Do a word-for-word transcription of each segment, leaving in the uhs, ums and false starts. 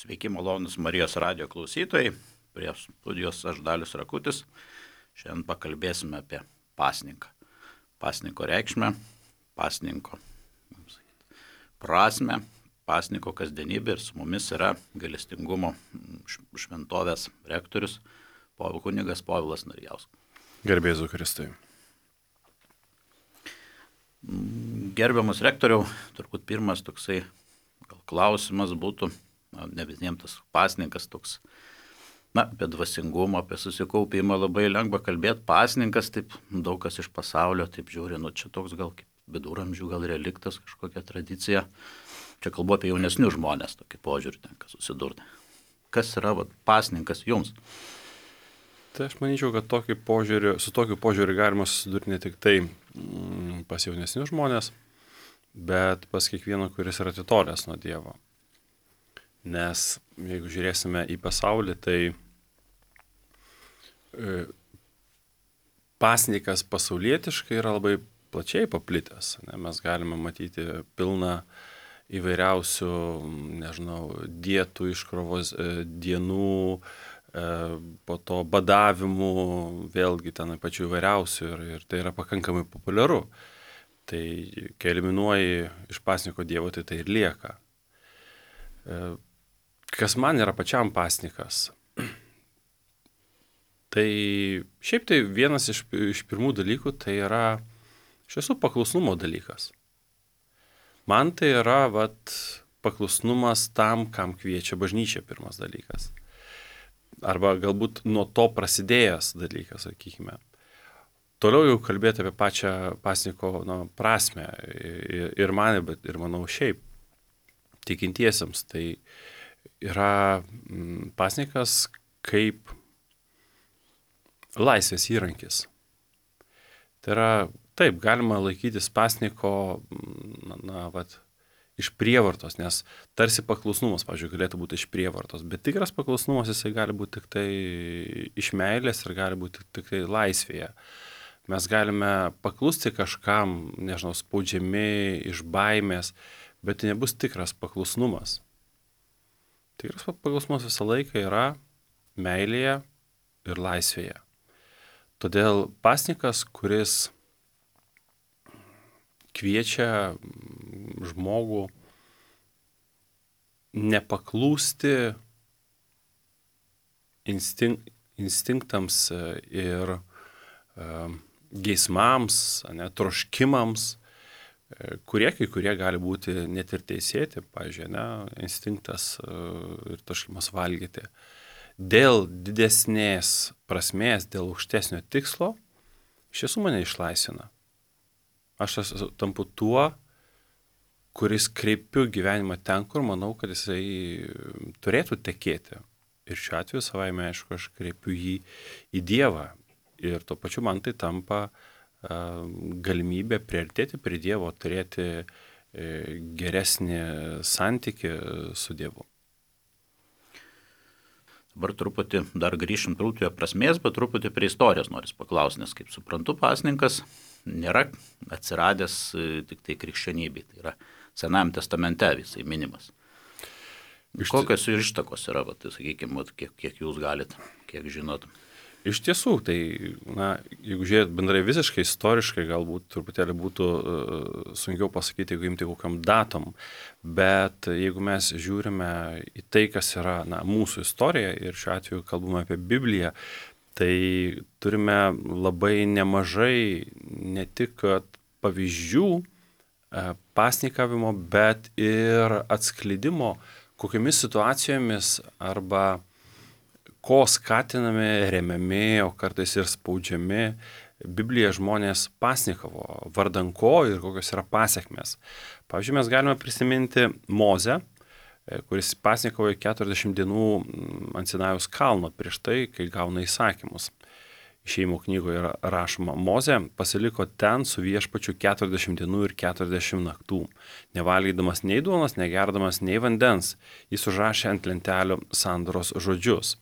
Sveiki, malonus Marijos radijo klausytojai. Prie studijos aš Dalius Rakutis. Šiandien pakalbėsime apie pasninką. Pasninko reikšmę, pasninko prasmę, pasninko kasdienybę ir su mumis yra gailestingumo šventovės rektorius kunigas Povilas Narijauskas. Garbė Jėzui Kristui. Gerbiamas rektoriau, turbūt pirmas toksai gal klausimas būtų, na, ne visiems tas pasninkas toks, na, apie dvasingumą, apie susikaupimą labai lengva kalbėti. Pasninkas, taip daug kas iš pasaulio, taip žiūri, nu čia toks gal kaip viduramžių, gal reliktas, kažkokia tradicija. Čia kalbu apie jaunesnius žmonės, tokį požiūrį tenka susidurti. Kas yra vat, pasninkas jums? Tai aš manyčiau, kad tokį požiūrį, su tokiu požiūriu galima susidurti ne tik tai mm, pas jaunesnius žmonės, bet pas kiekvieną, kuris yra atitolęs nuo Dievo. Nes jeigu žiūrėsime į pasaulį, tai e, pasninkas pasaulietiškai yra labai plačiai paplitęs. Ne? Mes galime matyti pilną įvairiausių, nežinau, dietų, iškrovos e, dienų, po to badavimų, vėlgi ten pačių įvairiausių ir, ir tai yra pakankamai populiaru. Tai kai eliminuoji iš pasninko Dievo, tai tai ir lieka. Kas man yra pačiam pasninkas? Tai šiaip tai vienas iš, iš pirmų dalykų tai yra iš tiesų paklusnumo dalykas. Man tai yra vat, paklusnumas tam, kam kviečia bažnyčia, pirmas dalykas. Arba galbūt nuo to prasidėjęs dalykas, sakykime. Toliau jau kalbėti apie pačią pasninko nu, prasmę ir, ir man, bet ir manau šiaip tikintiesiems. Tai yra mm, pasninkas kaip laisvės įrankis. Tai yra, taip, galima laikytis pasninko, na, na vat, iš prievartos, nes tarsi paklusnumas, pavyzdžiui, galėtų būti iš prievartos, bet tikras paklusnumas jisai gali būti tik tai iš meilės ir gali būti tik tai laisvėje. Mes galime paklusti kažkam, nežinau, spaudžiami iš baimės, bet tai nebus tikras paklusnumas. Tikras paklusnumas visą laiką yra meilėje ir laisvėje. Todėl pasninkas, kuris kviečia žmogų nepaklūsti instink, instinktams ir uh, geismams, ne, troškimams, uh, kurie kai kurie gali būti net ir teisėti, pavyzdžiui, ne, instinktas uh, ir troškimas valgyti. Dėl didesnės prasmės, dėl aukštesnio tikslo, iš tiesų mane išlaisvina. Aš tampu tuo, kuris kreipiu gyvenimą ten, kur manau, kad jisai turėtų tekėti. Ir šiuo atveju savaime, aišku, aš kreipiu jį į Dievą. Ir tuo pačiu man tai tampa uh, galimybė priartėti prie Dievo, turėti uh, geresnį santykį su Dievu. Dabar truputį dar grįšim truputį prie prasmės, bet truputį prie istorijos noris paklausti, nes kaip suprantu, pasninkas nėra atsiradęs tik tai krikščionybei, tai yra Senajam testamente visai minimas. Iš kokios ištakos yra, va, tai sakykime, kiek, kiek jūs galit, kiek žinot? Iš tiesų, tai, na, jeigu žiūrėt bendrai visiškai istoriškai, galbūt truputėlį būtų uh, sunkiau pasakyti, jeigu imti kokiam datom, bet jeigu mes žiūrime į tai, kas yra, na, mūsų istorija, ir šiuo atveju kalbame apie Bibliją, tai turime labai nemažai ne tik pavyzdžių uh, pasnikavimo, bet ir atskleidimo, kokiamis situacijomis arba ko skatinami, remiami, o kartais ir spaudžiami Biblija žmonės pasnikavo, vardan ko ir kokios yra pasekmės. Pavyzdžiui, mes galime prisiminti Mozę, kuris pasnikavo keturiasdešimt dienų ant Sinajaus kalno prieš tai, kai gauna įsakymus. Išėjimo knygoje yra rašoma, Mozė pasiliko ten su viešpačiu keturiasdešimt dienų ir keturiasdešimt naktų, nevalgydamas nei duonos, negerdamas nei vandens. Jis užrašė ant lentelių sandoros žodžius.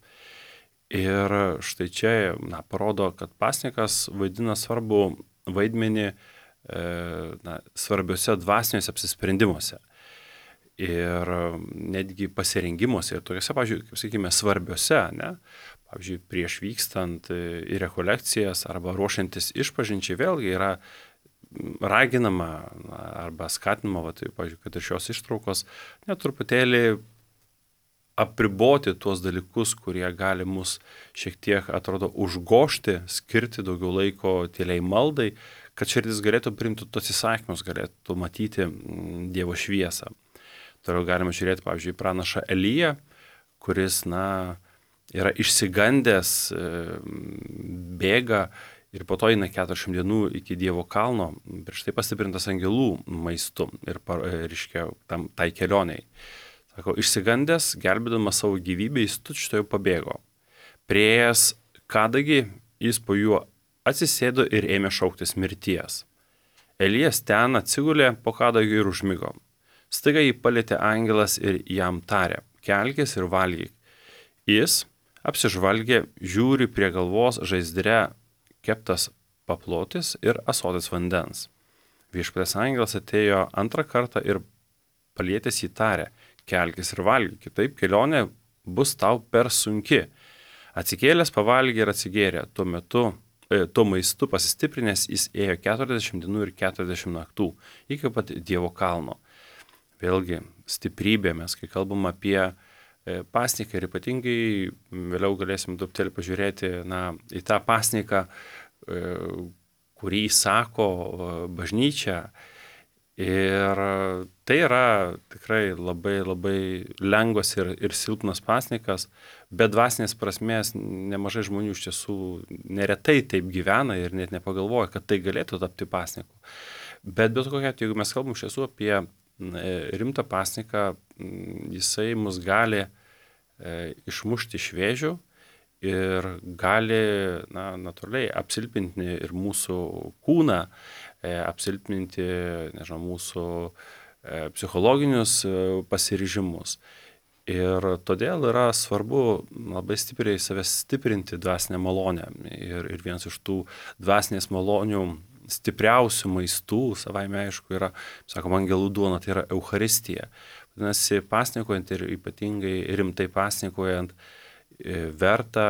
Ir štai čia na, parodo, kad pasninkas vaidina svarbų vaidmenį e, na, svarbiuose dvasiniuose apsisprendimuose. ir netgi pasirengimuose ir tokiuose, pavyzdžiui, kaip sakykime, svarbiuose, ne? Pavyzdžiui, prieš vykstant į rekolekcijas arba ruošiantis išpažinčiai vėlgi yra raginama arba skatinama, va, tai, pavyzdžiui, kad ir šios ištraukos net truputėlį apriboti tuos dalykus, kurie gali mus šiek tiek, atrodo, užgošti, skirti daugiau laiko tyliai maldai, kad širdis galėtų priimti tos įsakymus, galėtų matyti Dievo šviesą. Toliau galime žiūrėti, pavyzdžiui, pranašą Eliją, kuris, na, yra išsigandęs, bėga ir po to eina keturiasdešimt dienų iki Dievo kalno, prieš tai pastiprintas angelų maistu ir, reiškia, tam, tai kelioniai. Sako, išsigandęs, gelbėdamas savo gyvybę, jis tučtuojau pabėgo. Priėjęs kadagį, jis po juo atsisėdo ir ėmė šauktis mirties. Elijas ten atsigulė po kadagio ir užmigo. Staiga jį palietė angelas ir jam tarė, kelkis ir valgyk. Jis apsižvalgė, žiūri prie galvos žaizdre keptas paplotis ir ąsotis vandens. Viešpaties angelas atėjo antrą kartą ir palietęs jį tarė, kelkis ir valgyk, kitaip kelionė bus tau per sunki. Atsikėlęs pavalgė ir atsigėrė, tuo metu, e, tuo maistu pasistiprinęs jis ėjo keturiasdešimt dienų ir keturiasdešimt naktų, iki pat Dievo kalno. Vėlgi, stiprybė, mes kai kalbam apie pasniką ir ypatingai vėliau galėsim truputėlį pažiūrėti na, į tą pasniką, kurį sako bažnyčia. Ir tai yra tikrai labai, labai lengvas ir, ir silpnas pasnikas, bet dvasinės prasmės nemažai žmonių iš tiesų neretai taip gyvena ir net nepagalvoja, kad tai galėtų tapti pasniku. Bet bet kokia, jeigu mes kalbam iš tiesų apie rimtą pasniką, jisai mus gali e, išmušti iš vėžių ir gali, na, natūraliai apsilpninti ir mūsų kūną, e, apsilpninti, nežinau, mūsų e, psichologinius e, pasiryžimus. Ir todėl yra svarbu labai stipriai save stiprinti dvasinę malonę. Ir, ir vienas iš tų dvasinės malonių stipriausių maistų, savaime aišku, yra, sakom, angelų duona, tai yra Eucharistija. Vadinasi, pasnikojant ir ypatingai rimtai pasnikojant, verta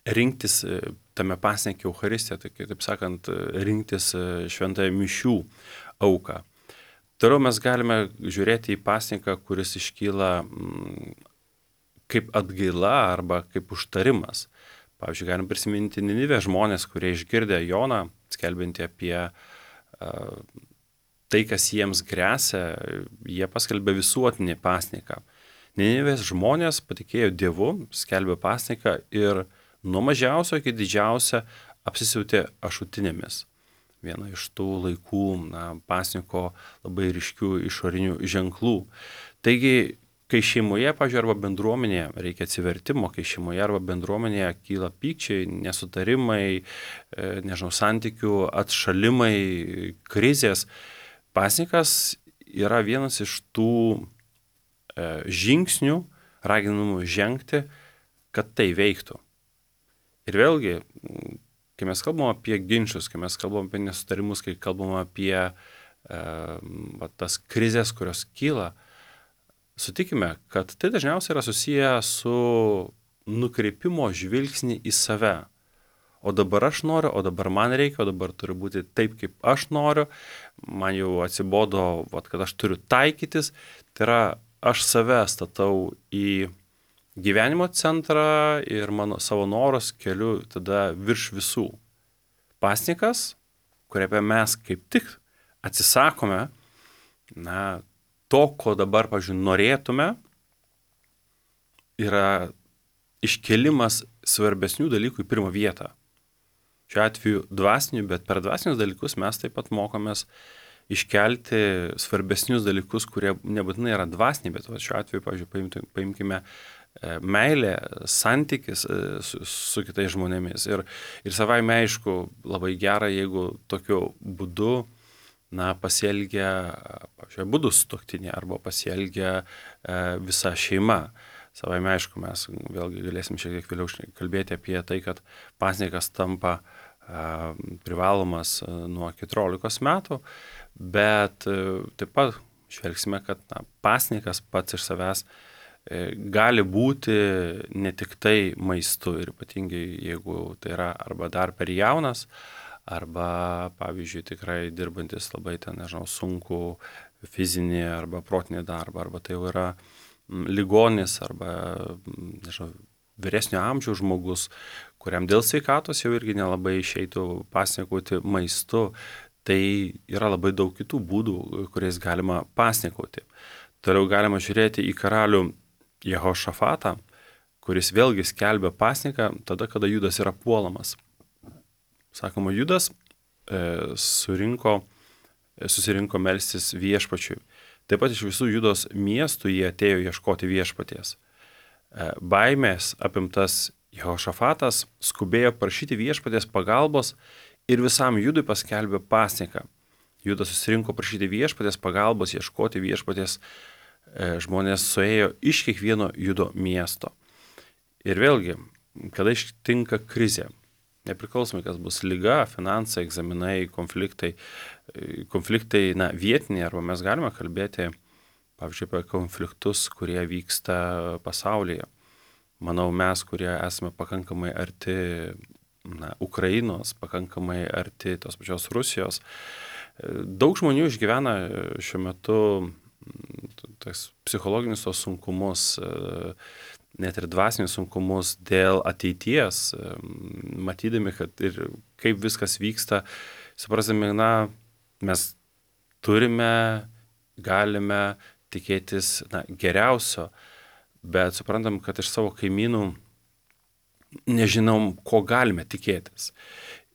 rinktis tame pasnike Eucharistiją, tai taip sakant, rinktis šventąją mišių auką. Toliau mes galime žiūrėti į pasniką, kuris iškyla kaip atgaila arba kaip užtarimas. Pavyzdžiui, galim prisiminti Ninivės žmonės, kurie išgirdę Joną, skelbinti apie uh, tai, kas jiems gresia, jie paskelbė visuotinį pasniką. Ninivės žmonės patikėjo Dievu, skelbė pasniką ir nuo mažiausio iki didžiausio apsisiautė ašutinėmis. Viena iš tų laikų na, pasniko labai ryškių išorinių ženklų. Taigi, kai šeimoje, pavyzdžiui, arba bendruomenėje reikia atsivertimo, kai šeimoje arba bendruomenėje kyla pykčiai, nesutarimai, nežinau, santykių atšalimai, krizės, pasnikas yra vienas iš tų žingsnių, raginamų žengti, kad tai veiktų. Ir vėlgi, kai mes kalbam apie ginčius, kai mes kalbam apie nesutarimus, kai kalbam apie e, va, tas krizės, kurios kyla, sutikime, kad tai dažniausiai yra susiję su nukreipimo žvilgsnį į save. O dabar aš noriu, o dabar man reikia, o dabar turi būti taip, kaip aš noriu, man jau atsibodo, vat, kad aš turiu taikytis, tai yra aš save statau į gyvenimo centrą ir mano savo norus keliu tada virš visų. Pasnikas, kuriame mes kaip tik atsisakome, na, to, ko dabar, pavyzdžiui, norėtume, yra iškelimas svarbesnių dalykų į pirmą vietą. Šiuo atveju dvasinių, bet per dvasinius dalykus mes taip pat mokomės iškelti svarbesnius dalykus, kurie nebūtinai yra dvasiniai, bet šiuo atveju, pavyzdžiui, paimkime meilę, santykis su, su kitais žmonėmis. Ir, ir savaime aišku, labai gera, jeigu tokiu būdu na, pasielgia, pavyzdžiui, abudu sutuoktiniai arba pasielgia e, visa šeima. Savaime aišku, mes vėlgi galėsim šiek tiek vėliau kalbėti apie tai, kad pasnikas tampa e, privalomas nuo keturiolikos metų, bet e, taip pat žvelgsime, kad na, pasninkas pats iš savęs gali būti ne tik tai maistu ir ypatingai jeigu tai yra arba dar per jaunas, arba, pavyzdžiui, tikrai dirbantis labai ten, nežinau, sunku fizinį arba protinį darbą, arba tai jau yra ligonis, arba, nežinau, vyresnio amžiaus žmogus, kuriam dėl sveikatos jau irgi nelabai išeitų pasninkauti maistu, tai yra labai daug kitų būdų, kuriais galima pasninkauti. Toliau galima žiūrėti į karalių Jehošafatą, kuris vėlgi skelbia pasninką tada, kada Judas yra puolamas. Sakoma, Judas e, surinko, susirinko melstis viešpačiui. Taip pat iš visų Judos miestų jie atėjo ieškoti viešpaties. E, baimės apimtas Jehošafatas skubėjo prašyti viešpaties pagalbos ir visam Judui paskelbė pasninką. Judas susirinko prašyti viešpaties pagalbos, ieškoti viešpaties. E, žmonės suėjo iš kiekvieno Judo miesto. Ir vėlgi, kada ištinka krizė, nepriklausomai, kas bus liga, finansai, egzaminai, konfliktai, konfliktai, na, vietiniai, arba mes galime kalbėti, pavyzdžiui, apie konfliktus, kurie vyksta pasaulyje. Manau, mes, kurie esame pakankamai arti, na, Ukrainos, pakankamai arti tos pačios Rusijos, daug žmonių išgyvena šiuo metu tas psichologinius tos sunkumus, net ir dvasinius sunkumus dėl ateities, matydami, kad ir kaip viskas vyksta, suprasdami, na, mes turime, galime tikėtis, na, geriausio, bet suprantam, kad iš savo kaimynų nežinom, ko galime tikėtis.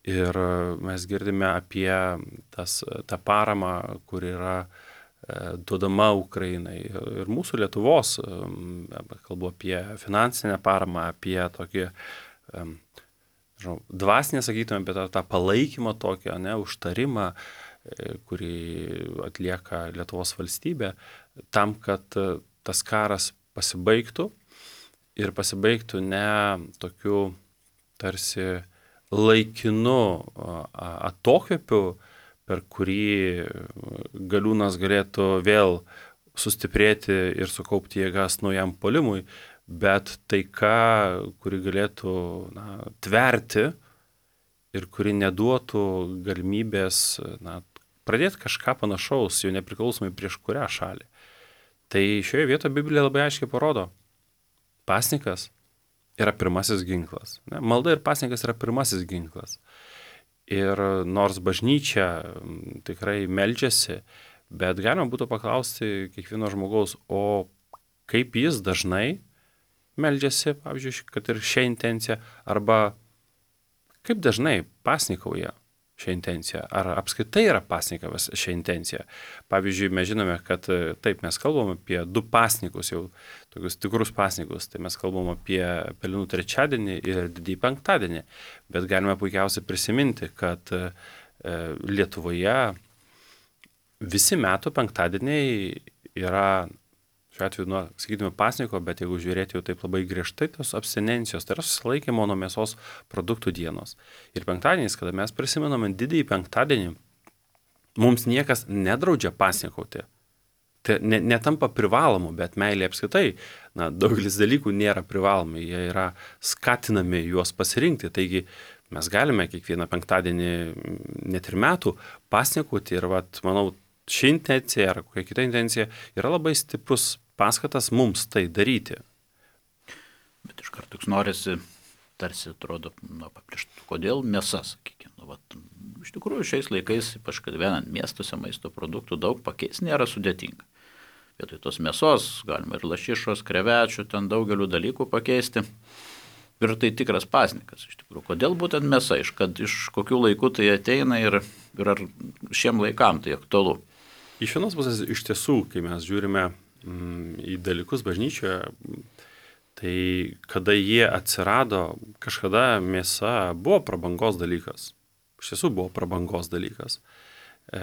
Ir mes girdime apie tas, tą paramą, kur yra duodama Ukrainai ir mūsų Lietuvos, kalbu apie finansinę paramą, apie tokį, žinau, dvasinę, sakytume, apie tą, tą palaikymą tokį, ne, užtarimą, kurį atlieka Lietuvos valstybė, tam, kad tas karas pasibaigtų ir pasibaigtų ne tokiu tarsi laikinu atokvėpiu, per kurį galiūnas galėtų vėl sustiprėti ir sukaupti jėgas naujam puolimui, bet taika, kuri galėtų, na, tverti ir kuri neduotų galimybės, na, pradėti kažką panašaus, jau nepriklausomai prieš kurią šalį. Tai šioje vietoje Biblija labai aiškiai parodo, pasninkas yra pirmasis ginklas. Ne? Malda ir pasninkas yra pirmasis ginklas. Ir nors bažnyčia tikrai meldžiasi, bet galima būtų paklausti kiekvieno žmogaus, o kaip jis dažnai meldžiasi, pavyzdžiui, kad ir šią intenciją, arba kaip dažnai pasnikauja šią intenciją, ar apskritai yra pasnikavęs šią intenciją. Pavyzdžiui, mes žinome, kad taip, mes kalbam apie du pasnikus, jau tokius tikrus pasnikus, tai mes kalbam apie Pelenų trečiadienį ir Didįjį penktadienį, bet galime puikiausiai prisiminti, kad e, Lietuvoje visi metų penktadieniai yra, šiuo atveju, nu, sakytume, pasniko, bet jeigu žiūrėti jau taip labai griežtai, tos abstinencijos, tai yra susilaikymo nuo mėsos produktų dienos. Ir penktadieniais, kada mes prisimename Didįjį penktadienį, mums niekas nedraudžia pasnikauti. Tai ne, netampa privalomu, bet meilė apskritai, na, daugelis dalykų nėra privalomi, jie yra skatinami juos pasirinkti. Taigi mes galime kiekvieną penktadienį, net ir metų, pasnikauti ir, vat, manau, ši intencija ar kokia kita intencija yra labai stiprus paskatas mums tai daryti. Bet iš karto toks norisi, tarsi atrodo, na, paprieštų, kodėl mėsa, sakykime. Nu, vat, iš tikrųjų, šiais laikais, ypač kad vienant miestuose maisto produktų daug pakeisti nėra sudėtinga. Vietoj tos mėsos galima ir lašišos, krevečių, ten daugelių dalykų pakeisti. Ir tai tikras pasnikas, iš tikrųjų. Kodėl būtent mėsa, iš, kad, iš kokių laikų tai ateina ir, ir ar šiem laikam tai aktualu? Iš vienos pusės, iš tiesų, kai mes žiūrime mm, į dalykus bažnyčioje, tai kada jie atsirado, kažkada mėsa buvo prabangos dalykas. Iš tiesų buvo prabangos dalykas. E,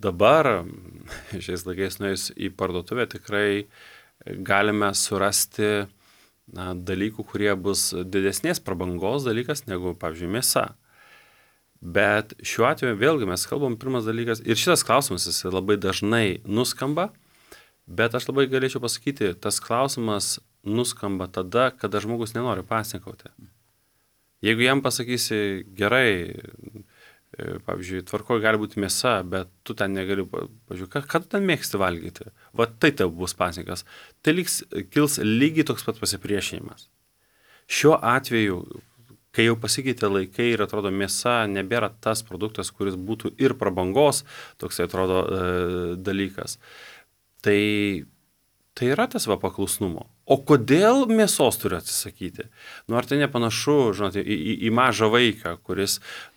dabar, šiais laikais nuėjus į parduotuvę, tikrai galime surasti na, dalykų, kurie bus didesnės prabangos dalykas negu, pavyzdžiui, mėsa. Bet šiuo atveju vėlgi mes kalbam pirmas dalykas, ir šitas klausimas jis labai dažnai nuskamba, bet aš labai galėčiau pasakyti, tas klausimas nuskamba tada, kada žmogus nenori pasninkauti. Jeigu jam pasakysi, gerai, pavyzdžiui, tvarkoje gali būti mėsa, bet tu ten negali, pavyzdžiui, ką, ką tu ten mėgsti valgyti, va tai tau bus pasninkas, tai liks, kils lygiai toks pat pasipriešinimas. Šiuo atveju, kai jau pasikeitė laikai ir atrodo mėsa nebėra tas produktas, kuris būtų ir prabangos, toks atrodo e, dalykas, tai, tai yra tas va paklusnumo. O kodėl mėsos turi atsisakyti? Nu, ar tai nepanašu, žinote, į, į, į mažą vaiką, kuris,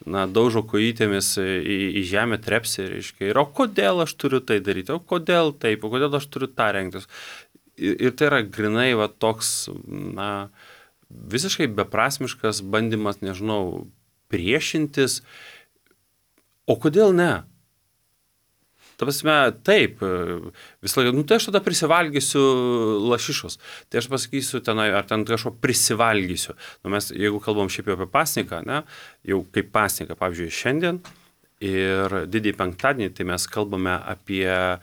na, daužo kojytėmis į, į žemę trepsi, reiškia, ir o kodėl aš turiu tai daryti, o kodėl taip, o kodėl aš turiu tą rengtis? Ir, ir tai yra grinai va toks, na, visiškai beprasmiškas bandymas, nežinau, priešintis. O kodėl ne? Ta prasme, taip, visą laiką, nu tai aš tada prisivalgysiu lašišos, tai aš pasakysiu tenai, ar ten kažko prisivalgysiu. Nu mes, jeigu kalbam šiaip jau apie pasninką, ne, jau kaip pasninką, pavyzdžiui, šiandien ir didįjį penktadienį, tai mes kalbame apie e,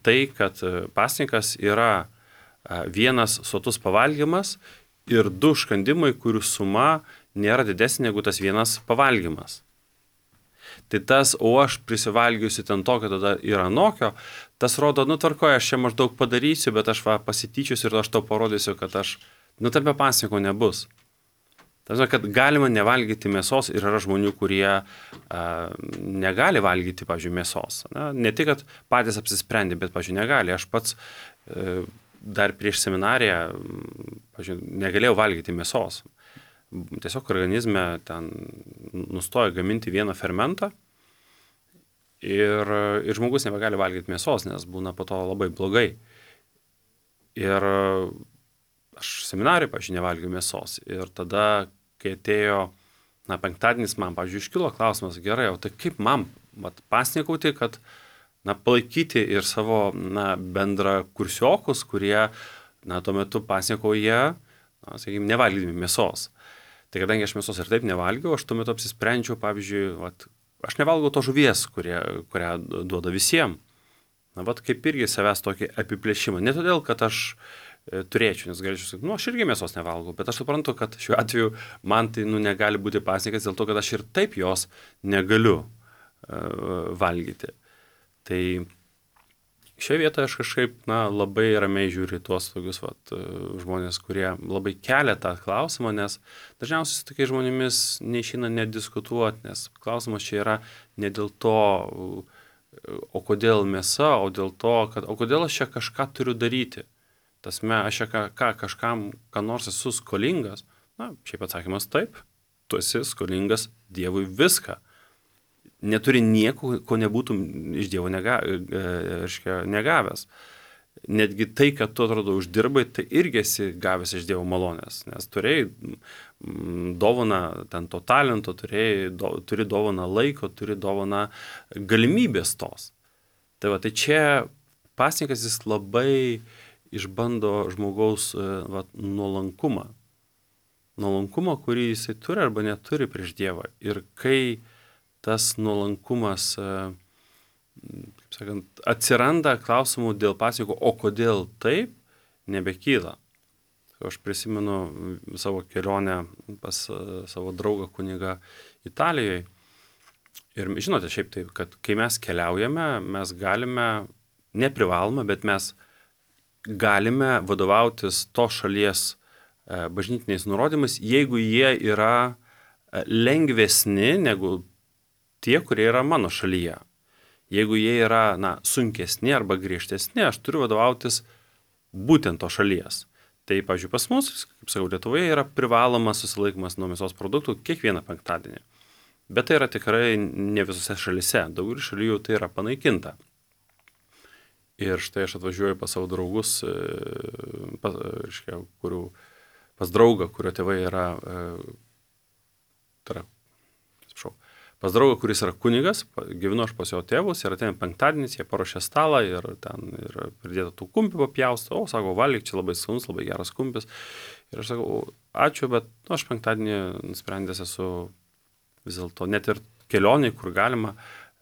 tai, kad pasninkas yra e, vienas sotus pavalgymas ir du škandimai, kurių suma nėra didesnė negu tas vienas pavalgymas. Tai tas, o aš prisivalgiusi ten tokio, tada yra anokio, tas rodo, nu tvarkoje, aš čia maždaug padarysiu, bet aš va pasityčiusiu ir aš tau parodysiu, kad aš, nu tame pasninko nebus. Tas, kad galima nevalgyti mėsos ir yra žmonių, kurie a, negali valgyti, pavyzdžiui, mėsos. Na, ne tik, kad patys apsisprendė, bet, pavyzdžiui, negali. Aš pats e, dar prieš seminariją, pavyzdžiui, negalėjau valgyti mėsos. Tiesiog organizme ten nustoja gaminti vieną fermentą ir, ir žmogus nebegali valgyti mėsos, nes būna po to labai blogai. Ir aš seminarijai, pavyzdžiui, nevalgiau mėsos. Ir tada, kai atėjo, na, penktadienis, man, pavyzdžiui, iškilo klausimas, gerai, o tai kaip man vat, pasninkauti, kad, na, palaikyti ir savo, na, bendra kursiokus, kurie, na, tuo metu pasninkauja, na, sakykime, nevalgydami mėsos. Tai kadangi aš mėsos ir taip nevalgiau, aš tuo metu apsisprendžiau, pavyzdžiui, vat, aš nevalgau to žuvies, kurie, kurią duoda visiems. Na, vat kaip irgi savęs tokį apiplėšimą. Ne todėl, kad aš e, turėčiau, nes galėčiau sakyti, nu, aš irgi mėsos nevalgau, bet aš suprantu, kad šiuo atveju man tai, nu, negali būti pasninkas dėl to, kad aš ir taip jos negaliu e, valgyti. Tai šioje vietoje aš kažkaip, na, labai ramiai žiūriu tuos tokius vat, žmonės, kurie labai kelia tą klausimą, nes dažniausiai su tokiais žmonėmis neišeina nediskutuoti, nes klausimas čia yra ne dėl to, o kodėl mėsa, o dėl to, kad, o kodėl aš čia kažką turiu daryti. Tasme, aš čia ką, ką, kažkam, ką nors esu skolingas. Na, šiaip atsakymas taip, tu esi skolingas Dievui viską. Neturi nieko, ko nebūtum iš Dievo nega, reiškia, negavęs. Netgi tai, kad tu atrodo uždirbai, tai irgi esi gavęs iš Dievo malonės, nes turėjai dovaną ten to talento, turėjai, do, turi dovaną laiko, turi dovaną galimybės tos. Tai va, tai čia pasninkas jis labai išbando žmogaus va, nuolankumą. Nuolankumą, kurį jisai turi arba neturi prieš Dievą. Ir kai tas nuolankumas, kaip sakant, atsiranda klausimų dėl pasninko, o kodėl taip, nebekyla. Aš prisimenu savo kelionę pas savo draugą kunigą Italijoje. Ir žinote, šiaip taip, kad kai mes keliaujame, mes galime, neprivalome, bet mes galime vadovautis to šalies bažnytiniais nurodymais, jeigu jie yra lengvesni negu tie, kurie yra mano šalyje. Jeigu jie yra, na, sunkesni arba griežtesni, aš turiu vadovautis būtent to šalies. Tai, pavyzdžiui, pas mus, kaip sakau, Lietuvoje yra privalomas susilaikymas nuo mėsos produktų kiekvieną penktadienį. Bet tai yra tikrai ne visose šalyse. Daugelį šalių jau tai yra panaikinta. Ir štai aš atvažiuoju pas savo draugus, pas, reiškia, kurių, pas draugą, kurio tėvai yra, tai yra, atsiprašau, pas draugą, kuris yra kunigas, gyvenu aš pas jo tėvus ir ateina penktadienis, jie paruošia stalą ir ten ir pridėta tų kumpių papjausto, o sako, valgyk, čia labai skanus, labai geras kumpis. Ir aš sakau, ačiū, bet nu, aš penktadienį nusprendęs esu vis dėlto net ir kelioniai, kur galima,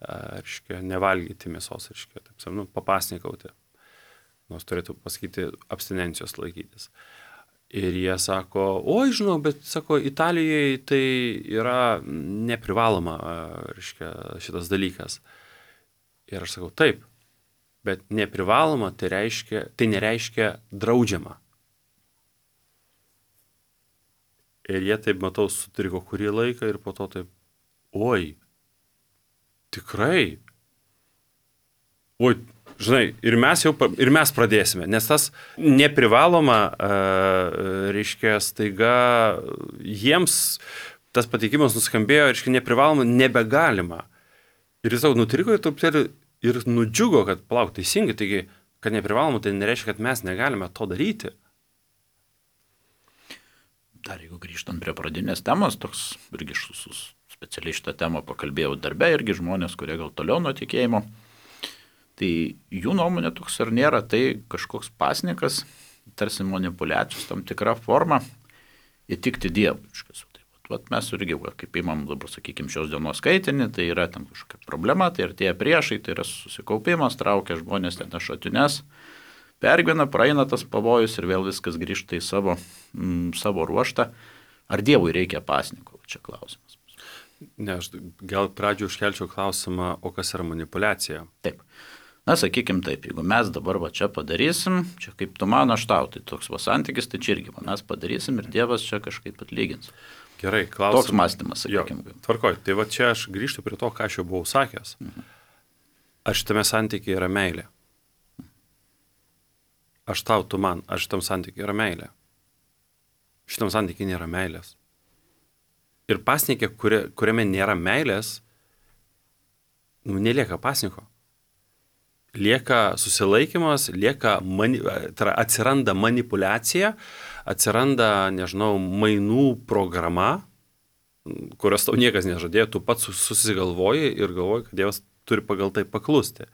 reiškia, nevalgyti mėsos, reiškia, taip, nu, papasnikauti, nors turėtų pasakyti abstinencijos laikytis. Ir jie sako, oi, žinau, bet, sako, Italijoje tai yra neprivaloma, reiškia, šitas dalykas. Ir aš sakau, taip, bet neprivaloma, tai, reiškia, tai nereiškia draudžiama. Ir jie taip, matau, sutriko kurį laiką ir po to taip, oi, tikrai, oi, žinai, ir mes jau, ir mes pradėsime, nes tas neprivaloma, reiškia, staiga jiems tas pateikimas nuskambėjo, reiškia, neprivaloma, nebegalima. Ir jis jau nutriko ir truputėlį ir nudžiugo, kad palauk, teisingai, taigi, kad neprivaloma, tai nereiškia, kad mes negalime to daryti. Dar jeigu grįžtant prie pradinės temos, toks irgi su specialiai šitą temą pakalbėjau darbe, irgi žmonės, kurie gal toliau nuo tikėjimo, tai jų nuomonė toks ar nėra, tai kažkoks pasnikas, tarsi manipuliacijos tam tikra forma įtikti Dievui. Vat mes irgi, kaip įmam dabar, sakykime, šios dienos skaitinį, tai yra tam kažkokia problema, tai ir tie priešai, tai yra susikaupimas, traukia žmonės ten šatines, pergyvena, praeina tas pavojus ir vėl viskas grįžta į savo, mm, savo ruoštą. Ar Dievui reikia pasniko? Čia klausimas. Ne, aš gal pradžio užkelčiau klausimą, o kas yra manipulacija? Taip. Na, sakykim taip, jeigu mes dabar va čia padarysim, čia kaip tu man, aš tau, tai toks va santykis, tai čia irgi mes padarysim ir Dievas čia kažkaip atlygins. Gerai, klausimas. Toks mąstymas, sakykim. Tvarkoj, tai va čia aš grįžtu prie to, ką aš jau buvau sakęs. Mhm. Aš šitame santykiai yra meilė. Aš tau, tu man, aš šitam santykiai yra meilė. Šitam santykiai nėra meilės. Ir pasnikė, kuri, kuriame nėra meilės, nu, nelieka pasniko. Lieka susilaikymas, lieka mani, tai yra, atsiranda manipulacija, atsiranda, nežinau, mainų programa, kurios tau niekas nežadėjo, tu pats susigalvoji ir galvoji, kad Dievas turi pagal tai paklusti.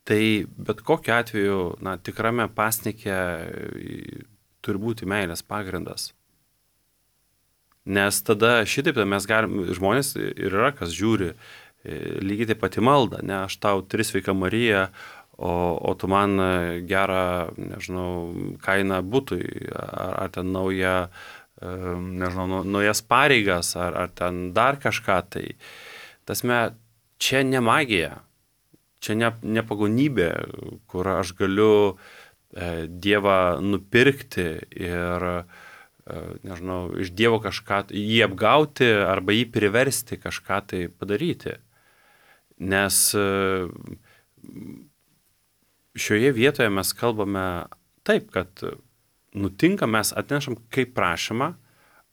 Tai bet kokiu atveju, na, tikrame pasnike turi būti meilės pagrindas. Nes tada šitaip mes galim, žmonės ir yra, kas žiūri, lygiai taip pati malda, ne, aš tau tris sveika Marija, o, o tu man gerą, nežinau, kainą butui, ar, ar ten naują, nežinau, naujas pareigas, ar, ar ten dar kažką, tai tasme, čia ne magija, čia ne, ne pagonybė, kur aš galiu e, Dievą nupirkti ir, e, nežinau, iš Dievo kažką, jį apgauti arba jį priversti kažką tai padaryti. Nes šioje vietoje mes kalbame taip, kad nutinka, mes atnešam kaip prašymą,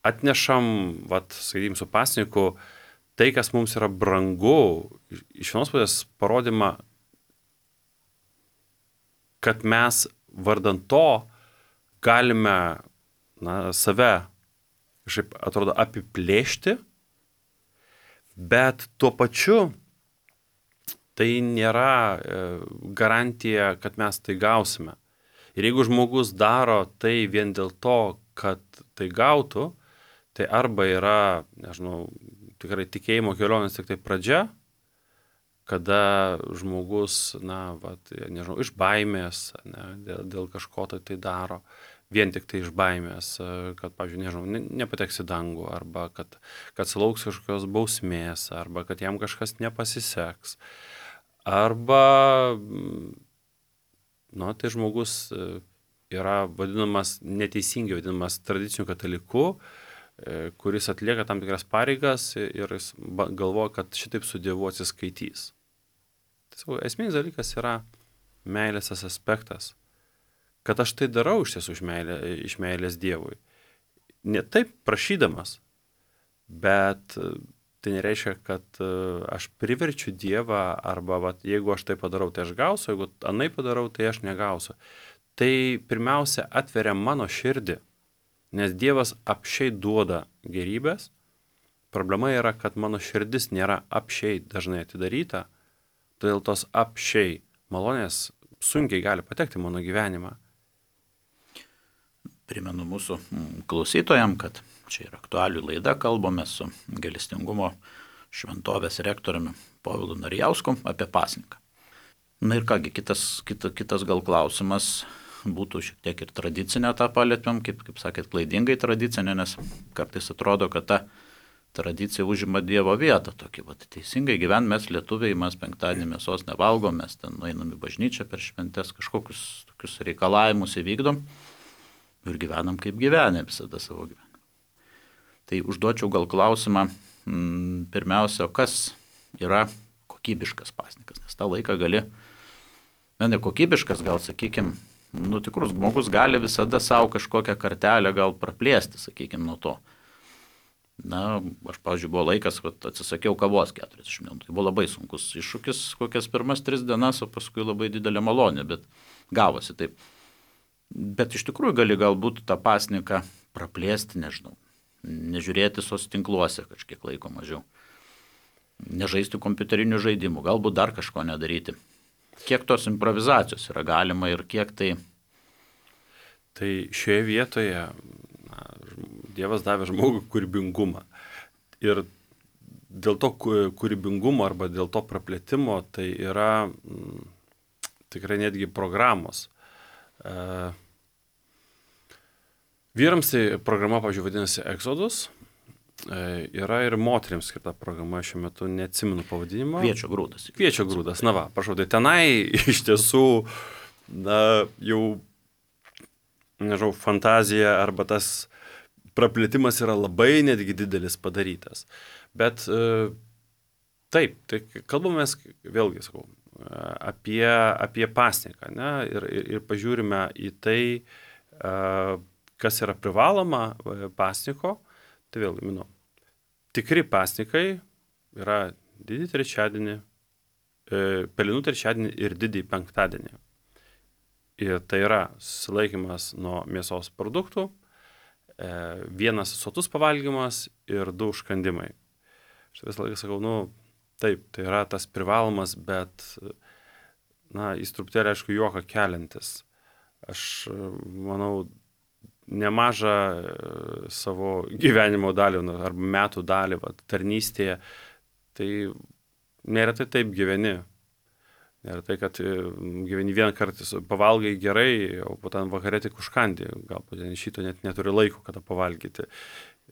atnešam, vat, sakykim, su pasniku, tai, kas mums yra brangu, iš vienos pusės parodymą, kad mes vardant to galime, na, save, kažkaip atrodo, apiplėšti, bet tuo pačiu tai nėra garantija, kad mes tai gausime. Ir jeigu žmogus daro tai vien dėl to, kad tai gautų, tai arba yra, nežinau, tikrai tikėjimo kelionės tik tai pradžia, kada žmogus, na, vat, nežinau, iš baimės, ne, dėl, dėl kažko tai tai daro, vien tik tai iš baimės, kad, pavyzdžiui, nežinau, nepateks į dangų, arba kad, kad sulauks kažkokios bausmės, arba kad jam kažkas nepasiseks. Arba, nu, tai žmogus yra vadinamas, neteisingai vadinamas tradiciniu kataliku, kuris atlieka tam tikras pareigas ir jis galvoja, kad šitaip su Dievu atsiskaitys. Tai esminis dalykas yra meilės tas aspektas, kad aš tai darau iš tiesų iš, meilė, iš meilės Dievui. Ne taip prašydamas, bet tai nereiškia, kad aš priverčiu Dievą arba vat, jeigu aš tai padarau, tai aš gausiu, jeigu anai padarau, tai aš negausiu. Tai pirmiausia atveria mano širdį, nes Dievas apšiai duoda gerybės. Problema yra, kad mano širdis nėra apšiai dažnai atidaryta, todėl tos apšiai malonės sunkiai gali patekti mano gyvenimą. Primenu mūsų klausytojams, kad čia yra aktualių laida, kalbame su gailestingumo šventovės rektoriumi Povilu Narijausku apie pasninką. Na ir kągi, kitas, kita, kitas gal klausimas būtų šiek tiek ir tradicinę tą palėtėm, kaip, kaip sakėt, klaidingai tradicinę, nes kartais atrodo, kad ta tradicija užima Dievo vietą. Tokį, vat, teisingai gyvent mes lietuviai, mes penktadienį mėsos nevalgom, mes ten nueinam į bažnyčią per šventes, kažkokius tokius reikalavimus įvykdom ir gyvenam kaip gyvenę visada savo gyvenimą. Tai užduočiau gal klausimą, m, pirmiausia, kas yra kokybiškas pasninkas, nes tą laiką gali, ne, ne kokybiškas, gal sakykime, nu tikrus žmogus gali visada savo kažkokią kartelę gal praplėsti, sakykime, nuo to. Na, aš, pavyzdžiui, buvo laikas, kad atsisakiau kavos keturiasdešimt minučių. Tai buvo labai sunkus iššūkis, kokias pirmas tris dienas, o paskui labai didelė malonė, bet gavosi taip. Bet iš tikrųjų gali galbūt tą pasninką praplėsti, nežinau, nežiūrėti sos tinkluose kažkiek laiko mažiau, nežaisti kompiuterinių žaidimų, galbūt dar kažko nedaryti. Kiek tos improvizacijos yra galima ir kiek tai... Tai šioje vietoje na, Dievas davė žmogui kūrybingumą. Ir dėl to kūrybingumo arba dėl to praplėtimo tai yra m, tikrai netgi programos. E, vyrams tai programa, pavyzdžiui, vadinasi Exodus. Yra ir moteriams skirta programa, šiuo metu neatsimenu pavadinimo. Kviečio grūdas. Kviečio grūdas, na va, prašau, tai tenai iš tiesų, na, jau, nežinau, fantazija arba tas praplėtimas yra labai netgi didelis padarytas. Bet taip, tai kalbamės, vėlgi sakau, apie, apie pasninką, ne, ir, ir, ir pažiūrime į tai, kas yra privaloma pasniko. Tai vėl, minu, tikri pasnikai yra didį trečiadienį, e, pelenų trečiadienį ir didį penktadienį. Ir tai yra susilaikymas nuo mėsos produktų, e, vienas sotus pavalgymas ir du užkandimai. Aš visą laiką sakau, nu, taip, tai yra tas privalomas, bet, na, jis truputėlį, aišku, juoką keliantis. Aš manau, nemažą savo gyvenimo dalį arba metų dalį vat, tarnystėje, tai neretai taip gyveni. Neretai, kad gyveni vieną kartą, pavalgai gerai, o po ten vakarė tik užkandi, galbūt šito net neturi laiko, kada pavalgyti.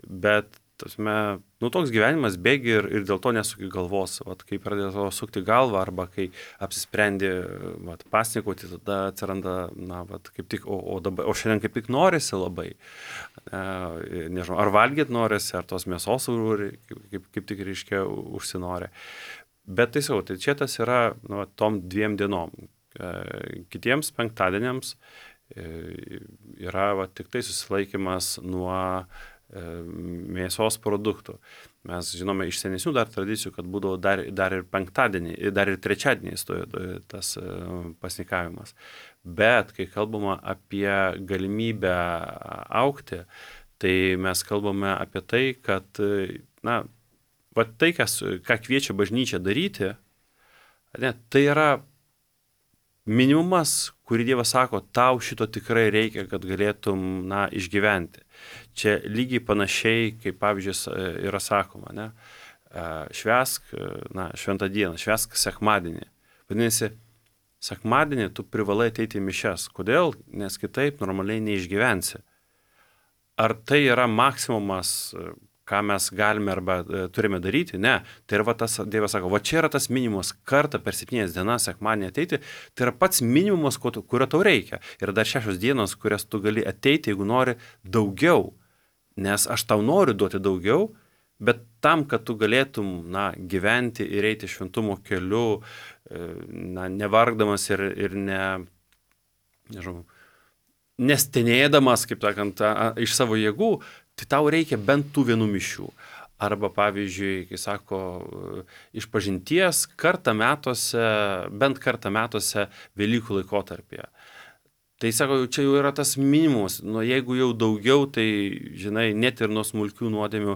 Bet tasme, nu, toks gyvenimas bėgi ir, ir dėl to nesuki galvos. Vat, kai pradėjo sukti galvą arba kai apsisprendi vat, pasnikauti, tada atsiranda, na, vat, kaip tik, o, o, dabar, o šiandien kaip tik norisi labai. E, nežinau, ar valgyti norisi, ar tos mėsos kaip, kaip, kaip tik reiškia užsinori. Bet tai savo, tai čia tas yra nu, tom dviem dienom. E, kitiems penktadieniams e, yra va, tik tai susilaikymas nuo mėsos produktų. Mes žinome iš senesnių dar tradicijų, kad būdavo dar, dar ir penktadienį, dar ir trečiadienį tas pasnikavimas. Bet kai kalbama apie galimybę augti, tai mes kalbame apie tai, kad na, va tai, kas, ką kviečia bažnyčia daryti, ne, tai yra minimumas, kurį Dievas sako, tau šito tikrai reikia, kad galėtum na, išgyventi. Čia lygiai panašiai, kaip pavyzdžiui yra sakoma, ne? Švęsk na, šventą dieną, švęsk sekmadienį. Vadinasi, sekmadienį tu privalai ateiti į mišias. Kodėl? Nes kitaip normaliai neišgyvensi. Ar tai yra maksimumas, ką mes galime arba turime daryti? Ne. Tai yra va tas, Dievas sako, va čia yra tas minimumas kartą per septynias dienas sekmadienį ateiti, tai yra pats minimumas, kurio tau reikia. Ir dar šešios dienos, kurias tu gali ateiti, jeigu nori daugiau. Nes aš tau noriu duoti daugiau, bet tam, kad tu galėtum na, gyventi ir eiti šventumo keliu, na, nevargdamas ir, ir ne, nežinau, nestenėdamas, kaip sakant, iš savo jėgų, tai tau reikia bent tų vienų mišių. Arba, pavyzdžiui, kai sako, išpažinties kartą metuose, bent kartą metuose Velykų laikotarpyje. Tai sako, čia jau yra tas minimumas, nu, jeigu jau daugiau, tai, žinai, net ir nuo smulkių nuodėmių,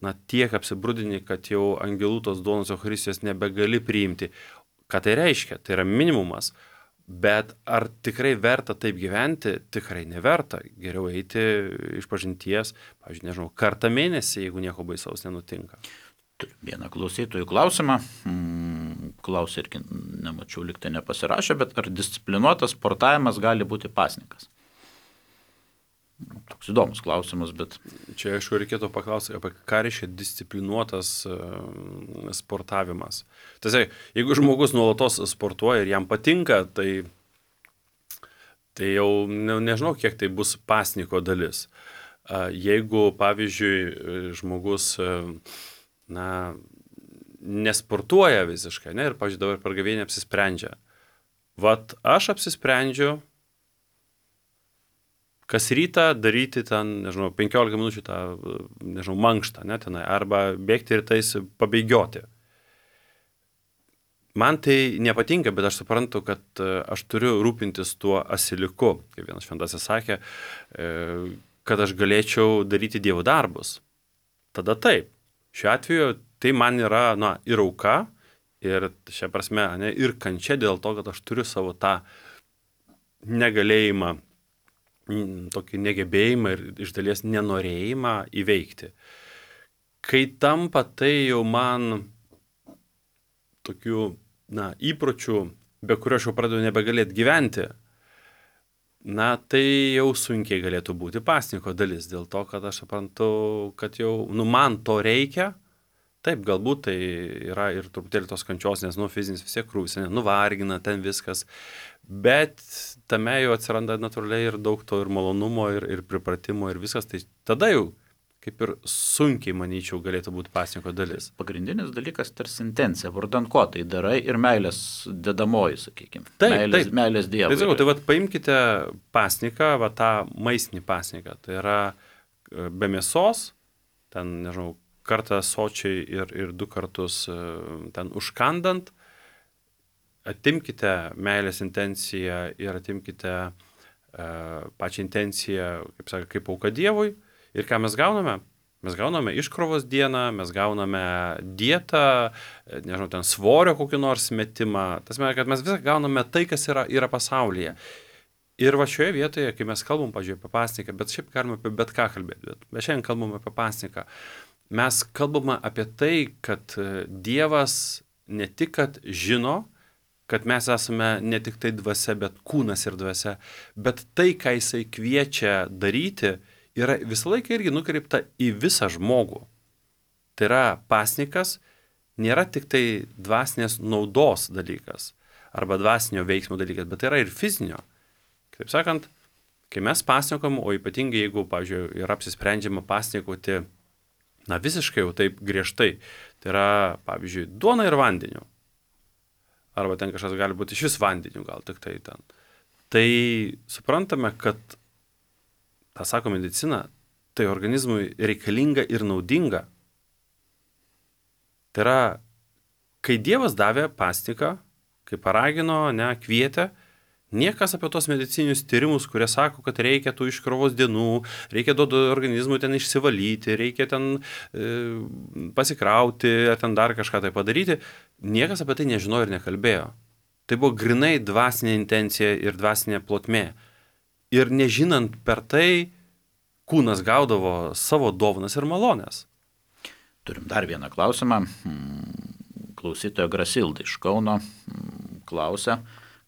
na, tiek apsibrudini, kad jau angelų tos duonos Eucharistijos nebegali priimti. Ką tai reiškia? Tai yra minimumas. Bet ar tikrai verta taip gyventi? Tikrai neverta. Geriau eiti išpažinties, pavyzdžiui, nežinau, kartą mėnesį, jeigu nieko baisaus nenutinka. Turiu vieną klausytojų klausimą. Klausė irgi, nemačiau, liktai nepasirašė, bet ar disciplinuotas sportavimas gali būti pasninkas? Toks įdomus klausimas, bet... Čia, aišku, reikėtų paklausyti, apie ką reiškia disciplinuotas sportavimas. Tiesiog, jeigu žmogus nuolatos sportuoja ir jam patinka, tai, tai jau ne, nežinau, kiek tai bus pasniko dalis. Jeigu, pavyzdžiui, žmogus... na, nesportuoja visiškai, ne, ir, pavyzdžiui, dabar per gavėnį apsisprendžia. Vat aš apsisprendžiu, kas rytą daryti ten, nežinau, penkiolika minučių tą, nežinau, mankštą, ne, tenai, arba bėgti ir tais pabėgioti. Man tai nepatinka, bet aš suprantu, kad aš turiu rūpintis tuo asiliuku, kaip vienas šventasis sakė, kad aš galėčiau daryti Dievo darbus. Tada taip. Šiuo atveju tai man yra, na, ir auka, ir šia prasme, ne, ir kančia dėl to, kad aš turiu savo tą negalėjimą, tokį negebėjimą ir iš dalies nenorėjimą įveikti. Kai tampa tai jau man tokių, na, įpročių, be kurio aš jau pradedu nebegalėti gyventi, na, tai jau sunkiai galėtų būti pasninko dalis, dėl to, kad aš suprantu, kad jau, nu, man to reikia. Taip, galbūt tai yra ir truputėlį tos kančios, nes, nu, fizinis vis tiek krūvis, nuvargina ten viskas, bet tame jau atsiranda natūraliai ir daug to ir malonumo, ir, ir pripratimo, ir viskas, tai tada jau kaip ir sunkiai, manyčiau, galėtų būti pasninko dalis. Pagrindinis dalykas tarsi intencija, vardan ko tai darai ir meilės dedamoji, sakykime. Taip, meilės, taip. Meilės Dievui. Tai, sakau, tai vat, paimkite pasniką, va, tą maistinį pasniką, tai yra be mėsos, ten, nežinau, kartą sočiai ir, ir du kartus ten užkandant, atimkite meilės intenciją ir atimkite uh, pačią intenciją, kaip sakė, kaip auka Dievui. Ir ką mes gauname? Mes gauname iškrovos dieną, mes gauname dietą, nežinau, ten svorio kokį nors metimą. Tas mėg, kad mes visą gauname tai, kas yra, yra pasaulyje. Ir va šioje vietoje, kai mes kalbam, pažiūrėjau, apie pasniką, bet šiaip galime apie bet ką kalbėti, bet, bet šiandien kalbam apie pasniką, mes kalbame apie tai, kad Dievas ne tik, kad žino, kad mes esame ne tik tai dvasia, bet kūnas ir dvasia, bet tai, ką jisai kviečia daryti, yra visą laiką irgi nukreipta į visą žmogų. Tai yra pasnikas, nėra tik tai dvasinės naudos dalykas arba dvasinio veiksmo dalykas, bet tai yra ir fizinio. Kaip sakant, kai mes pasnikom, o ypatingai jeigu, pavyzdžiui, yra apsisprendžiama pasnikoti, na visiškai jau taip griežtai, tai yra, pavyzdžiui, duona ir vandeniu. Arba ten kažkas gali būti iš vis vandeniu, gal tik tai ten. Tai suprantame, kad tą sako medicina, tai organizmui reikalinga ir naudinga. Tai yra, kai Dievas davė pasniką, kai paragino, ne, kvietė, niekas apie tos medicininius tyrimus, kurie sako, kad reikia tų iškrovos dienų, reikia duoti organizmui ten išsivalyti, reikia ten e, pasikrauti, ar ten dar kažką tai padaryti, niekas apie tai nežinojo ir nekalbėjo. Tai buvo grinai dvasinė intencija ir dvasinė plotmė. Ir nežinant per tai, kūnas gaudavo savo dovanas ir malonės. Turim dar vieną klausimą. Klausytoja Grasilda iš Kauno klausia,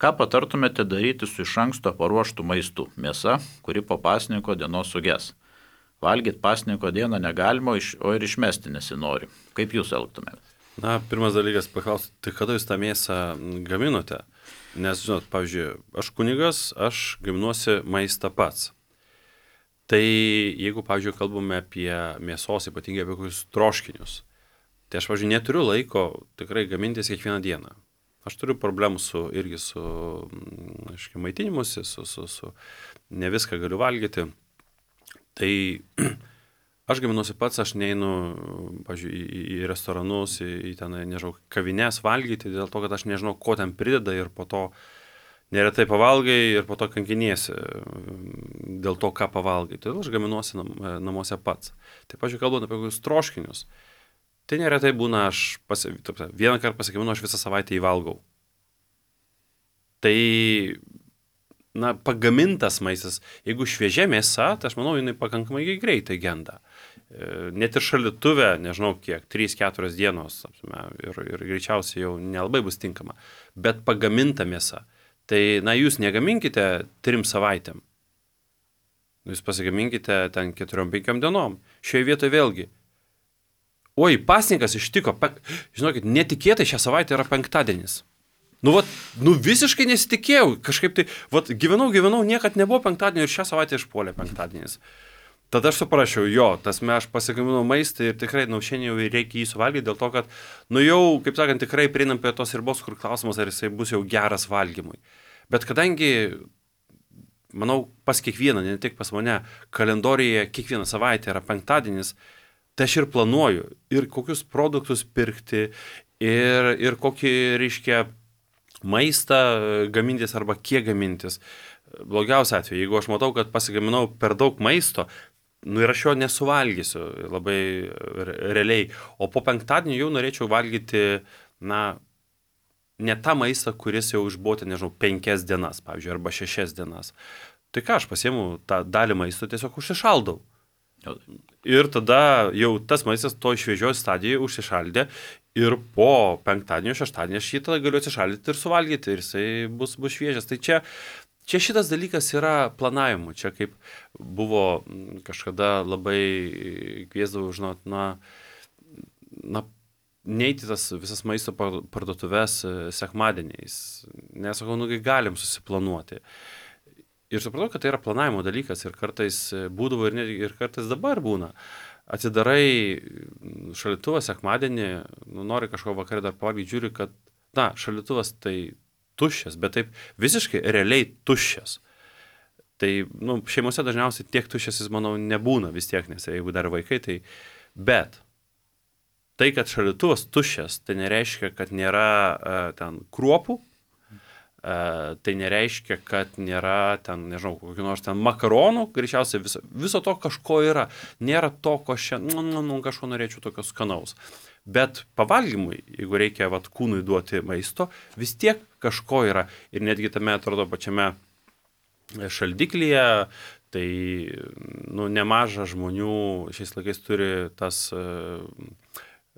ką patartumėte daryti su iš anksto paruoštų maistu? Mėsa, kuri po pasninko dienos suges. Valgyti pasninko dieną negalima, o ir išmesti nesinori. Kaip jūs elgtumėte? Na, pirmas dalykas paklausti, tai kada jūs tą mėsą gaminote? Nes, žinot, pavyzdžiui, aš kunigas, aš gaminuosi maistą pats. Tai jeigu, pavyzdžiui, kalbame apie mėsos, ypatingai apie kokius troškinius, tai aš, pavyzdžiui, neturiu laiko tikrai gamintis kiekvieną dieną. Aš turiu problemų su, irgi su, aiškiai, maitinimusi, su, su, su, ne viską galiu valgyti. Tai aš gaminuosi pats, aš neinu, pavyzdžiui, į, į restoranus, į, į ten, nežinau, kavines valgyti, dėl to, kad aš nežinau, ko ten prideda ir po to neretai pavalgai ir po to kankiniesi dėl to, ką pavalgai. Todėl aš gaminuosi nam, namuose pats. Tai, pavyzdžiui, kalbant apie kokius troškinius, tai neretai būna, aš pasi, vieną kartą pasigaminu, aš visą savaitę įvalgau. Tai, na, pagamintas maistas, jeigu šviežia mėsa, tai aš manau, jinai pakankamai greitai genda. net ir šaldytuve, nežinau kiek, trys keturios dienos ir, ir greičiausiai jau nelabai bus tinkama, bet pagaminta mėsa. Tai, na, jūs negaminkite trim savaitėm. Jūs pasigaminkite ten keturiom penkiom dienom. Šioje vietoje vėlgi. Oi, pasninkas ištiko, pe... žinokit, netikėtai šią savaitę yra penktadienis. Nu, vat, nu visiškai nesitikėjau, kažkaip tai, vat, gyvenau, gyvenau, niekad nebuvo penktadienio ir šią savaitę išpuolė penktadienis. Tada aš suprašiau, jo, tasme aš pasigaminau maistą ir tikrai, nu, šiandien jau reikia jį suvalgyti dėl to, kad, nu, jau, kaip sakant, tikrai prieinam prie tos ribos, kur klausimas, ar jisai bus jau geras valgymui. Bet kadangi, manau, pas kiekvieną, ne tik pas mane, kalendorijoje kiekvieną savaitę yra penktadienis, tai aš ir planuoju, ir kokius produktus pirkti, ir, ir kokį, reiškia, maistą gamintis arba kiek gamintis. Blogiausia atveju, jeigu aš matau, kad pasigaminau per daug maisto, nu ir aš jo nesuvalgysiu labai realiai, o po penktadienį jau norėčiau valgyti, na, ne tą maistą, kuris jau išbuvo, nežinau, penkias dienas, pavyzdžiui, arba šešias dienas. Tai ką, aš pasiėmu tą dalį maisto, tiesiog užsišaldau. Ir tada jau tas maistas to šviežioj stadijoje užsišaldė ir po penktadienio, šeštadienio aš jį tada galiu atsišaldyti ir suvalgyti ir jisai bus, bus šviežias. Tai čia, čia šitas dalykas yra planavimu. Čia kaip buvo kažkada labai kviesdavau, žinot, na, na, neiti tas visas maisto parduotuves sekmadieniais. Nesakau, nu, galim susiplanuoti. Ir supratau, kad tai yra planavimo dalykas ir kartais būdavo ir, ir kartais dabar būna. Atsidarai šaldytuvą sekmadienį, nu, nori kažko vakarą dar pavalgyti, žiūri, kad, na, šaldytuvas tai tuščias, bet taip visiškai realiai tuščias. Tai, nu, šeimose dažniausiai tiek tuščias jis, manau, nebūna vis tiek, nes jeigu dar vaikai, tai... Bet tai, kad šaldytuvas tuščias, tai nereiškia, kad nėra uh, ten kruopų, Uh, tai nereiškia, kad nėra ten, nežinau, kokių nors ten makaronų, greičiausiai viso, viso to kažko yra. Nėra to, ko šiandien, nu, nu, nu, kažko norėčiau tokio skanaus. Bet pavalgymui, jeigu reikia vat, kūnui duoti maisto, vis tiek kažko yra. Ir netgi tame, atrodo, pačiame šaldiklyje, tai, nu, nemaža žmonių šiais laikais turi tas... Uh,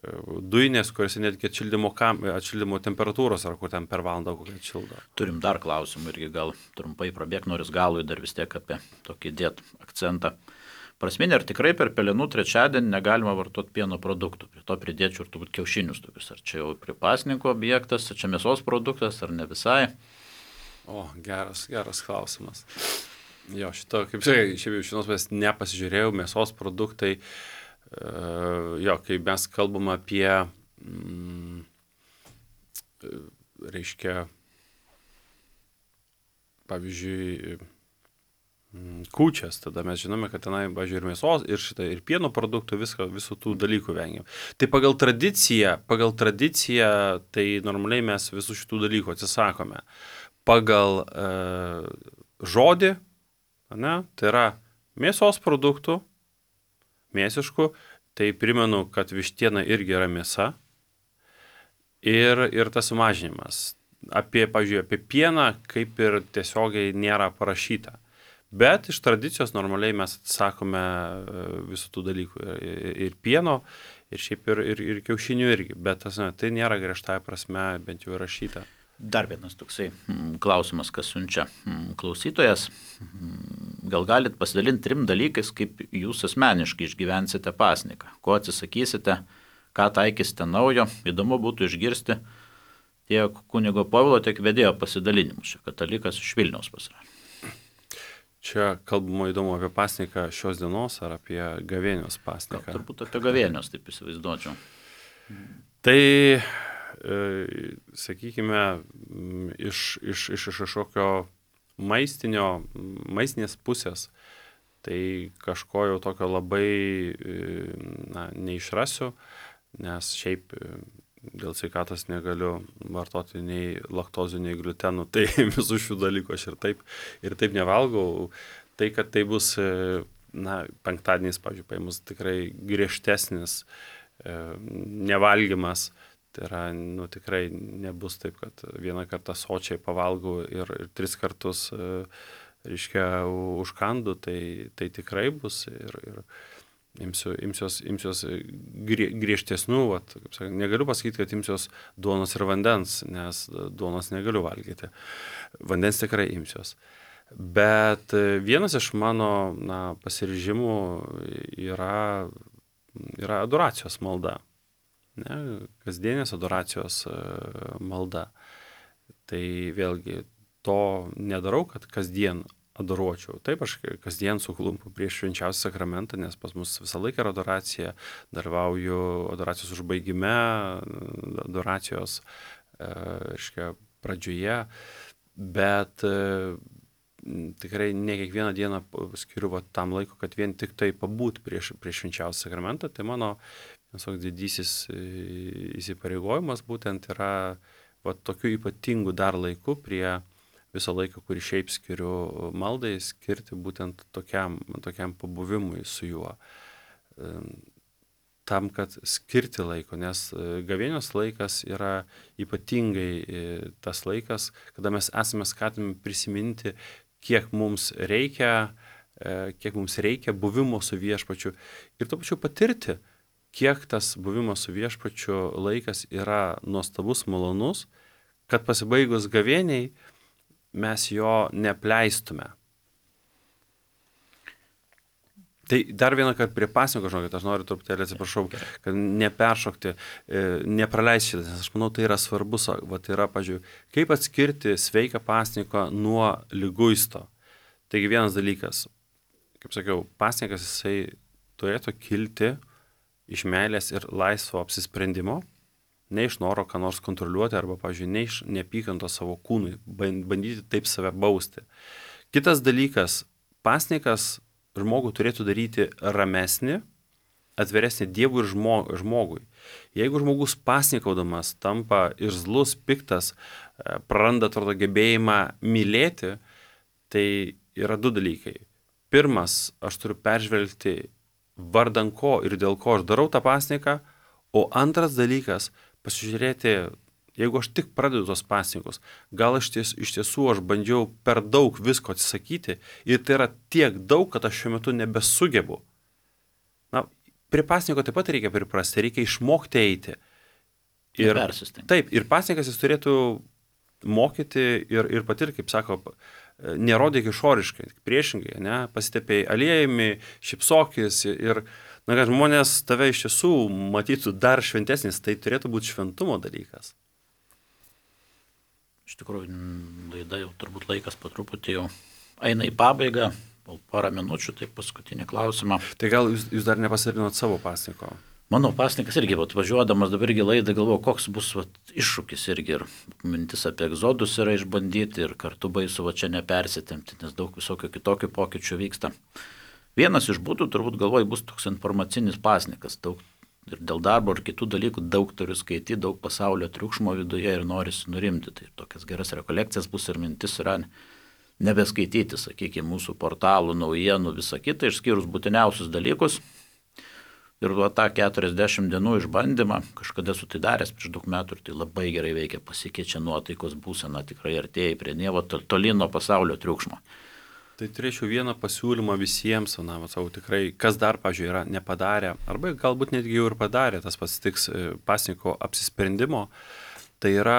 dujinės, kuriuose netgi atšildymo, kam, atšildymo temperatūros, ar kur ten per valandą kokią atšildo. Turim dar klausimų irgi gal trumpai prabėg, noris galui dar vis tiek apie tokį dėt akcentą. Prasminė, ar tikrai per pelenų trečiadienį negalima vartoti pieno produktų? Prie to pridėčiau ir turbūt kiaušinius tokius. Ar čia jau prie pasninko objektas, ar čia mėsos produktas, ar ne visai? O, geras, geras klausimas. Jo, šito, kaip sakai, šiaip jau šios mes nepasižiūrėjau, mėsos produktai. Uh, jo, kai mes kalbam apie, mm, reiškia, pavyzdžiui, mm, kūčias, tada mes žinome, kad tenai, pavyzdžiui, ir mėsos, ir, šitą, ir pieno produktų, viską, visų tų dalykų vengiam. Tai pagal tradiciją, pagal tradiciją, tai normaliai mes visų šitų dalykų atsisakome. Pagal uh, žodį, ne, tai yra mėsos produktų, mėsiškų, tai primenu, kad vištiena irgi yra mėsa ir, ir tas sumažinimas. Apie, pavyzdžiui, apie pieną kaip ir tiesiogiai nėra parašyta. Bet iš tradicijos normaliai mes atsakome visų tų dalykų. Ir, ir pieno, ir šiaip ir, ir, ir kiaušinių irgi. Bet tas, ne, tai nėra griežtąja prasme bent jau rašyta. Dar vienas toksai klausimas, kas siunčia klausytojas. Gal galit pasidalinti trim dalykais, kaip jūs asmeniškai išgyvensite pasniką, ko atsisakysite, ką taikysite naujo. Įdomu būtų išgirsti tiek kunigo Povilo, tiek vedėjo pasidalinimus. Čia katalikas iš Vilniaus pasirė. Čia kalbama įdomu apie pasniką šios dienos ar apie gavėnios pasniką? Gal, turbūt apie gavėnios, taip įsivaizduočiau. Tai... sakykime, iš, iš, iš kažkokio maistinio, maistinės pusės, tai kažko jau tokio labai, na, neišrasiu, nes šiaip dėl sveikatos negaliu vartoti nei laktozių, nei gliutenų, tai visų šių dalykų aš ir taip, ir taip nevalgau. Tai, kad tai bus, na, penktadienis, pavyzdžiui, paėmus tikrai griežtesnis nevalgymas. Tai yra, nu, tikrai nebus taip, kad vieną kartą sočiai pavalgau ir, ir tris kartus, reiškia, užkandu, tai, tai tikrai bus. Ir, ir, imsiu, imsiuos, imsiuos grie, griežtesnių, vat, kaip sakant, negaliu pasakyti, kad imsiuos duonos ir vandens, nes duonos negaliu valgyti. Vandens tikrai imsiuos. Bet vienas iš mano na, pasiryžimų yra, yra adoracijos malda. Ne, kasdienės adoracijos malda. Tai vėlgi to nedarau, kad kasdien adoruočiau. Taip, aš kasdien suklumpu prieš švenčiausią sakramentą, nes pas mus visą laiką yra adoracija, dalyvauju adoracijos užbaigime, adoracijos reiškia, pradžioje, bet tikrai ne kiekvieną dieną skiriu va, tam laiko, kad vien tik tai pabūt prieš, prieš švenčiausią sakramentą. Tai mano visoks didysis įsipareigojimas būtent yra va, tokiu ypatingu dar laiku prie visą laiką, kurį šiaip skiriu maldai, skirti būtent tokiam, tokiam pabuvimui su juo. Tam, kad skirti laiko, nes gavėnios laikas yra ypatingai tas laikas, kada mes esame skatinami prisiminti, kiek mums reikia, kiek mums reikia buvimo su viešpačiu ir tuo pačiu patirti, kiek tas buvimo su viešpačiu laikas yra nuostabus, malonus, kad pasibaigus gavėniai mes jo neapleistume. Tai dar vieną kartą prie pasninko, žinokit, aš noriu truputėlį atsiprašau, kad neperšokti, nepraleisti šitą, nes aš manau, tai yra svarbus, va, tai yra, pažiūrėjau, kaip atskirti sveiką pasninką nuo liguisto. Taigi vienas dalykas, kaip sakiau, pasninkas jisai turėtų kilti iš meilės ir laisvo apsisprendimo, ne iš noro ką nors kontroliuoti arba, pavyzdžiui, ne iš neapykantos savo kūnui, bandyti taip save bausti. Kitas dalykas, pasninkas žmogų turėtų daryti ramesnį, atviresnį Dievui ir žmogui. Jeigu žmogus pasninkaudamas tampa irzlus, piktas, praranda atrodo gebėjimą mylėti, tai yra du dalykai. Pirmas, aš turiu peržvelgti vardan ko ir dėl ko aš darau tą pasninką, o antras dalykas, pasižiūrėti, jeigu aš tik pradedu tos pasninkus, gal aš ties, iš tiesų aš bandžiau per daug visko atsisakyti ir tai yra tiek daug, kad aš šiuo metu nebesugebu. Na, prie pasninko taip pat reikia priprasti, reikia išmokti eiti. Ir, taip, ir pasninkas jis turėtų mokyti ir, ir patirti, kaip sako, nerodyk išoriškai, priešingai, ne, pasitepėjai aliejumi, šipsokis ir na, kad žmonės tave iš tiesų matytų dar šventesnis, tai turėtų būti šventumo dalykas. Iš tikrųjų, laida jau turbūt laikas po truputį jau eina į pabaigą, po porą minučių, tai paskutinį klausimą. Tai gal jūs, jūs dar nepasidalinot savo pasninko? Mano pasninkas irgi, vat, važiuodamas dabar irgi laidą galvoju, koks bus vat, iššūkis irgi ir mintis apie egzodus yra išbandyti ir kartu baisu va čia nepersitemti, nes daug visokių kitokių pokyčių vyksta. Vienas iš būdų, turbūt galvoju, bus toks informacinis pasninkas. Daug, ir dėl darbo ir kitų dalykų daug turiu skaityti, daug pasaulio triukšmo viduje ir norisi nurimti. Tai tokias geras rekolekcijas bus ir mintis yra nebeskaityti, sakykime, mūsų portalų, naujienų, visą kitą, išskyrus būtiniausius dalykus. Ir va tą keturiasdešimt dienų išbandymą, kažkada su tai daręs prieš daug metų ir tai labai gerai veikia, pasikeičia nuotaikos būsena, tikrai artėja prie Dievo, toli nuo pasaulio triukšmo. Tai turėčiau vieną pasiūlymą visiems, na, savo tikrai, kas dar, pažiūrėjau, yra nepadarę, arba galbūt netgi jau ir padarė, tas pasitiks pasninko apsisprendimo, tai yra,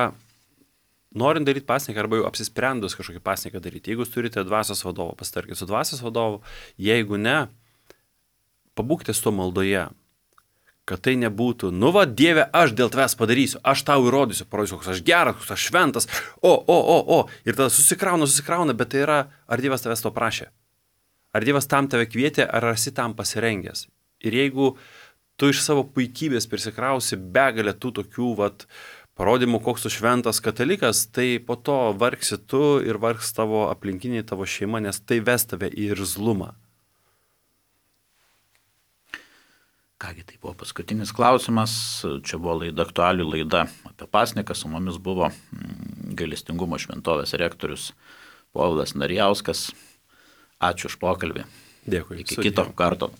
norint daryti pasninką, arba jau apsisprendus kažkokį pasninką daryti, jeigu jūs turite dvasios vadovą, pasitarkite su dvasios vadovu, jeigu ne, pabūkite su to maldoje, kad tai nebūtų, nu va, Dieve, aš dėl tavęs padarysiu, aš tau įrodysiu, parodysiu, koks aš geras, koks aš šventas, o, o, o, o, ir tada susikrauna, susikrauna, bet tai yra, ar Dievas tavęs to prašė? Ar Dievas tam tave kvietė, ar esi tam pasirengęs? Ir jeigu tu iš savo puikybės prisikrausi begalę tų tokių, vat, parodymų, koks tu šventas katalikas, tai po to vargsi tu ir vargs tavo aplinkiniai, tavo šeima, nes tai ves tave į irzlumą. Kągi, tai buvo paskutinis klausimas, čia buvo laida, aktualių laida apie pasninką, su mumis buvo gailestingumo šventovės rektorius Povilas Narijauskas. Ačiū už pokalbį. Dėkui. Iki kito karto.